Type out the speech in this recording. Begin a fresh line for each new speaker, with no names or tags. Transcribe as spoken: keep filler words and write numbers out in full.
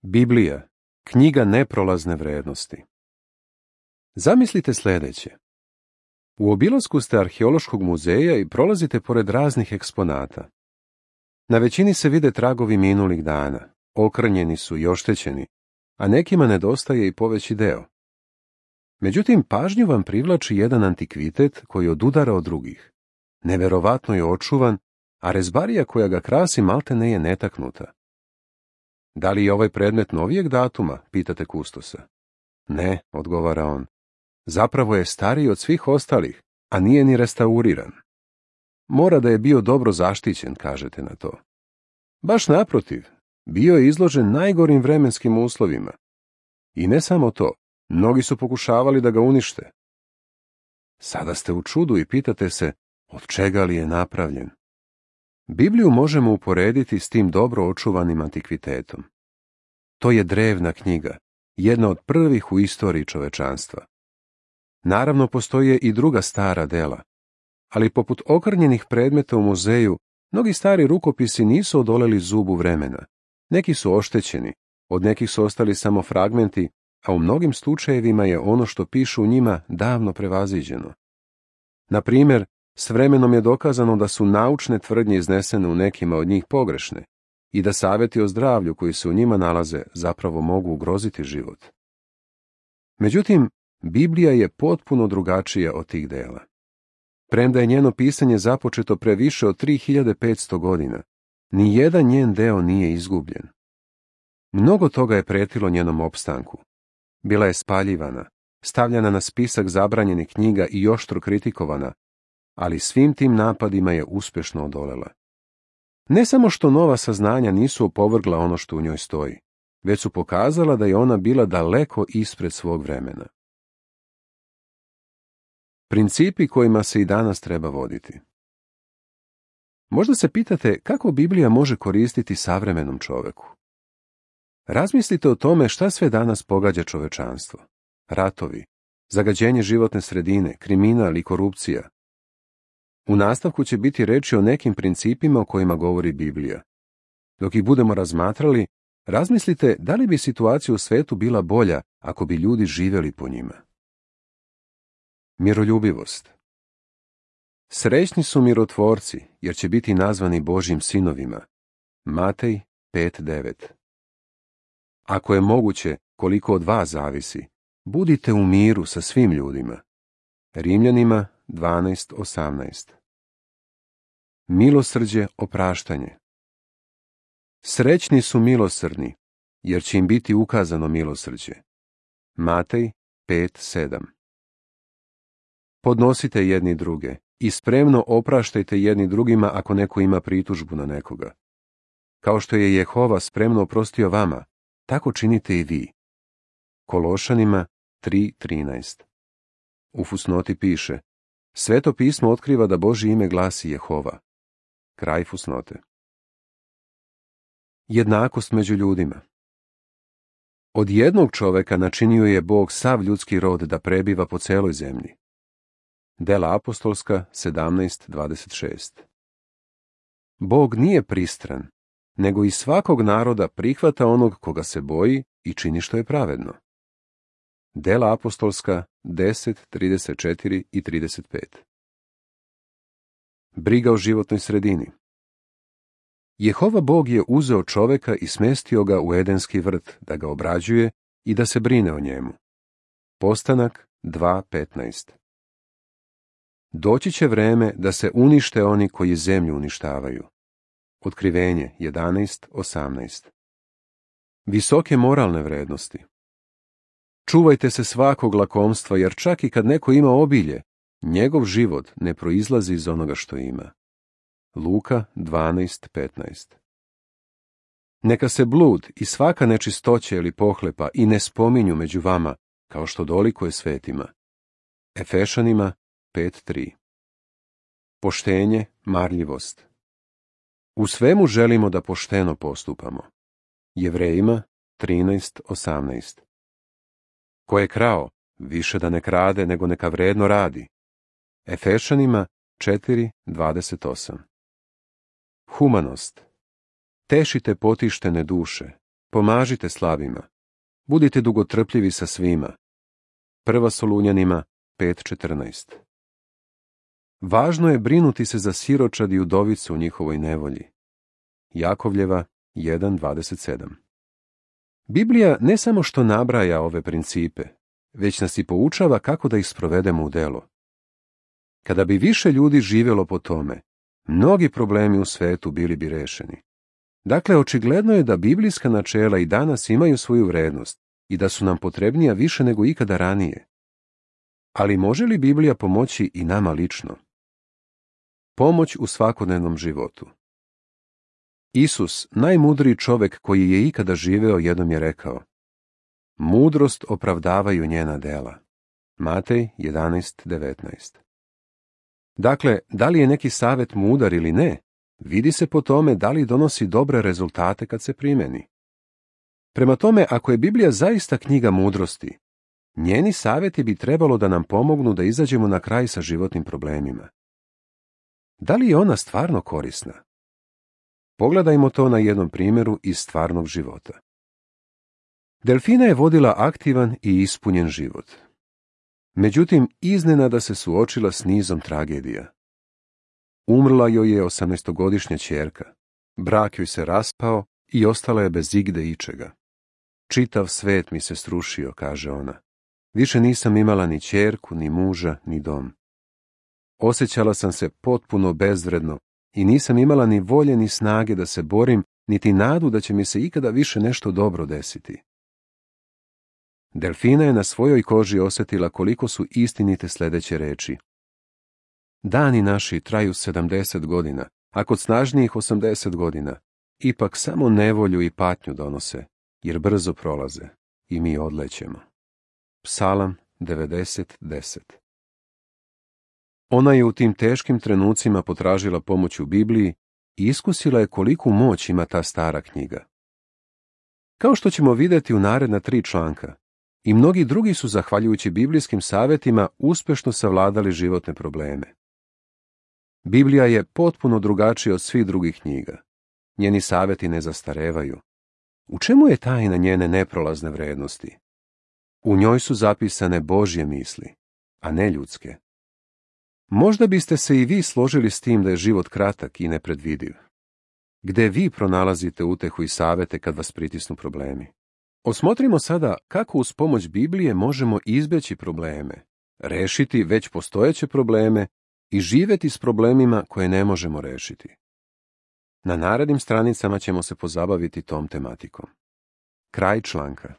Biblija, knjiga neprolazne vrednosti. Zamislite sljedeće. U obilasku ste arheološkog muzeja i prolazite pored raznih eksponata. Na većini se vide tragovi minulih dana, okrnjeni su i oštećeni, a nekima nedostaje i poveći deo. Međutim, pažnju vam privlači jedan antikvitet koji odudara od drugih. Neverovatno je očuvan, a rezbarija koja ga krasi maltene je netaknuta. Da li je ovaj predmet novijeg datuma, pitate kustosa. Ne, odgovara on. Zapravo je stariji od svih ostalih, a nije ni restauriran. Mora da je bio dobro zaštićen, kažete na to. Baš naprotiv, bio je izložen najgorim vremenskim uslovima. I ne samo to, mnogi su pokušavali da ga unište. Sada ste u čudu i pitate se, od čega li je napravljen? Bibliju možemo uporediti s tim dobro očuvanim antikvitetom. To je drevna knjiga, jedna od prvih u istoriji čovečanstva. Naravno, postoje i druga stara dela, ali poput okrnjenih predmeta u muzeju, mnogi stari rukopisi nisu odoleli zubu vremena. Neki su oštećeni, od nekih su ostali samo fragmenti, a u mnogim slučajevima je ono što pišu u njima davno prevaziđeno. Na primjer, s vremenom je dokazano da su naučne tvrdnje iznesene u nekima od njih pogrešne i da savjeti o zdravlju koji se u njima nalaze zapravo mogu ugroziti život. Međutim, Biblija je potpuno drugačija od tih dela. Premda je njeno pisanje započeto pre više od tri hiljade petsto godina, ni jedan njen deo nije izgubljen. Mnogo toga je pretilo njenom opstanku. Bila je spaljivana, stavljana na spisak zabranjenih knjiga i oštro kritikovana, ali svim tim napadima je uspješno odolela. Ne samo što nova saznanja nisu opovrgla ono što u njoj stoji, već su pokazala da je ona bila daleko ispred svog vremena. Principi kojima se i danas treba voditi. Možda se pitate kako Biblija može koristiti savremenom čoveku. Razmislite o tome šta sve danas pogađa čovečanstvo. Ratovi, zagađenje životne sredine, kriminal i korupcija. U nastavku će biti reči o nekim principima o kojima govori Biblija. Dok ih budemo razmatrali, razmislite da li bi situacija u svetu bila bolja ako bi ljudi živjeli po njima. Miroljubivost. Srećni su mirotvorci, jer će biti nazvani Božjim sinovima. Matej pet devet. Ako je moguće, koliko od vas zavisi, budite u miru sa svim ljudima. Rimljanima dvanaest osamnaest. Milosrđe, opraštanje. Srećni su milosrdni, jer će im biti ukazano milosrđe. Matej pet sedam. Podnosite jedni druge i spremno opraštajte jedni drugima ako neko ima pritužbu na nekoga. Kao što je Jehova spremno oprostio vama, tako činite i vi. Kološanima tri trinaest. U fusnoti piše: Sveto pismo otkriva da Božje ime glasi Jehova. Kraj fusnote. Jednakost među ljudima. Od jednog čoveka načinio je Bog sav ljudski rod da prebiva po celoj zemlji. Dela apostolska sedamnaest dvadeset šest. Bog nije pristran, nego iz svakog naroda prihvata onog koga se boji i čini što je pravedno. Dela apostolska deset trideset četiri i trideset pet. Briga o životnoj sredini. Jehova Bog je uzeo čoveka i smestio ga u Edenski vrt da ga obrađuje i da se brine o njemu. Postanak dva petnaest. Doći će vreme da se unište oni koji zemlju uništavaju. Otkrivenje jedanaest osamnaest. Visoke moralne vrednosti. Čuvajte se svakog lakomstva, jer čak i kad neko ima obilje, njegov život ne proizlazi iz onoga što ima. Luka dvanaest petnaest. Neka se blud i svaka nečistoća ili pohlepa i ne spominju među vama, kao što dolikuje svetima. Efešanima pet tri. Poštenje, marljivost. U svemu želimo da pošteno postupamo. Jevrejima trinaest osamnaest. Ko je krao, više da ne krade, nego neka vredno radi. Efešanima četiri dvadeset osam. Humanost. Tešite potištene duše, Pomažite slabima. Budite dugotrpljivi sa svima. Prva Solunjanima pet četrnaest. Važno je brinuti se za siročad i udovicu u njihovoj nevolji. Jakovljeva jedan dvadeset sedam. Biblija ne samo što nabraja ove principe, već nas i poučava kako da ih sprovedemo u delo. Kada bi više ljudi živjelo po tome, mnogi problemi u svetu bili bi rešeni. Dakle, očigledno je da biblijska načela i danas imaju svoju vrednost i da su nam potrebnija više nego ikada ranije. Ali može li Biblija pomoći i nama lično? Pomoć u svakodnevnom životu. Isus, najmudriji čovek koji je ikada živeo, jednom je rekao: mudrost opravdavaju njena dela. Matej jedanaest devetnaest. Dakle, da li je neki savet mudar ili ne, vidi se po tome da li donosi dobre rezultate kad se primeni. Prema tome, ako je Biblija zaista knjiga mudrosti, njeni savjeti bi trebalo da nam pomognu da izađemo na kraj sa životnim problemima. Da li je ona stvarno korisna? Pogledajmo to na jednom primjeru iz stvarnog života. Delfina je vodila aktivan i ispunjen život. Međutim, iznenada se suočila s nizom tragedija. Umrla joj je osamnaestogodišnja ćerka, brak joj se raspao i ostala je bez igde ičega. Čitav svet mi se srušio, kaže ona. Više nisam imala ni ćerku, ni muža, ni dom. Osjećala sam se potpuno bezvredno i nisam imala ni volje ni snage da se borim, niti nadu da će mi se ikada više nešto dobro desiti. Delfina je na svojoj koži osjetila koliko su istinite sljedeće reči. Dani naši traju sedamdeset godina, a kod snažnijih osamdeset godina. Ipak samo nevolju i patnju donose, jer brzo prolaze i mi odlećemo. Psalam devedeset deset. Ona je u tim teškim trenucima potražila pomoć u Bibliji i iskusila je koliku moć ima ta stara knjiga. Kao što ćemo vidjeti u naredna tri članka, i mnogi drugi su, zahvaljujući biblijskim savjetima, uspješno savladali životne probleme. Biblija je potpuno drugačija od svih drugih knjiga. Njeni savjeti ne zastarevaju. U čemu je tajna njene neprolazne vrednosti? U njoj su zapisane Božje misli, a ne ljudske. Možda biste se i vi složili s tim da je život kratak i nepredvidiv. Gde vi pronalazite utehu i savjete kad vas pritisnu problemi? Osmotrimo sada kako uz pomoć Biblije možemo izbjeći probleme, rešiti već postojeće probleme i živjeti s problemima koje ne možemo rešiti. Na narednim stranicama ćemo se pozabaviti tom tematikom. Kraj članka.